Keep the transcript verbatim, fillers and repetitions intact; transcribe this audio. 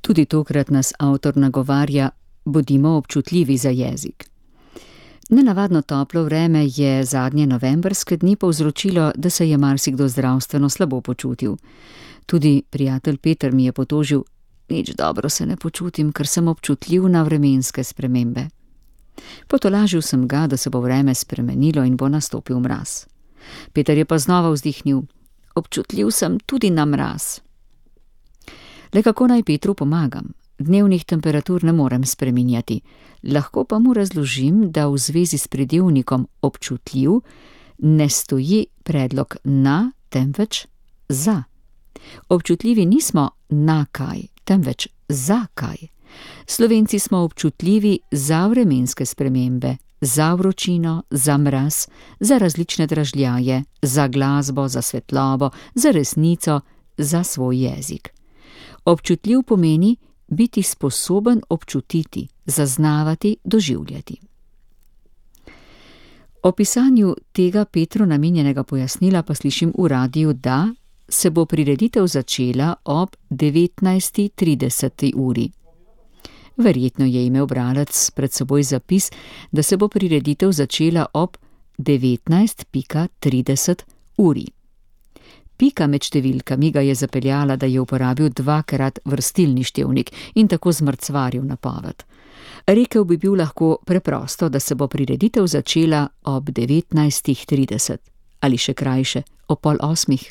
Tudi tokrat nas avtor nagovarja, bodimo občutljivi za jezik. Nenavadno toplo vreme je zadnje novembrske dni povzročilo, da se je marsikdo zdravstveno slabo počutil. Tudi prijatelj Peter mi je potožil, nič dobro se ne počutim, ker sem občutljiv na vremenske spremembe. Potolažil sem ga, da se bo vreme spremenilo in bo nastopil mraz. Peter je pa znova vzdihnil, občutljiv sem tudi na mraz. Le kako naj Petru pomagam? Dnevnih temperatur ne morem spreminjati, lahko pa mu razložim, da v zvezi s pridevnikom občutljiv ne stoji predlog na, temveč za. Občutljivi nismo na kaj, temveč za kaj. Slovenci smo občutljivi za vremenske spremembe, za vročino, za mraz, za različne dražljaje, za glasbo, za svetlobo, za resnico, za svoj jezik. Občutljiv pomeni biti sposoben občutiti, zaznavati, doživljati. O pisanju tega Petru namenjenega pojasnila pa slišim v radiu, da se bo prireditev začela ob devetnajsti trideseti uri. Verjetno je imel bralec pred seboj zapis, da se bo prireditev začela ob devetnajst trideset uri. Pika med številkami ga je zapeljala, da je uporabil dvakrat vrstilni števnik in tako zmrcvaril napoved. Rekel bi bil lahko preprosto, da se bo prireditev začela ob devetnajst trideset ali še krajše, ob pol osmih.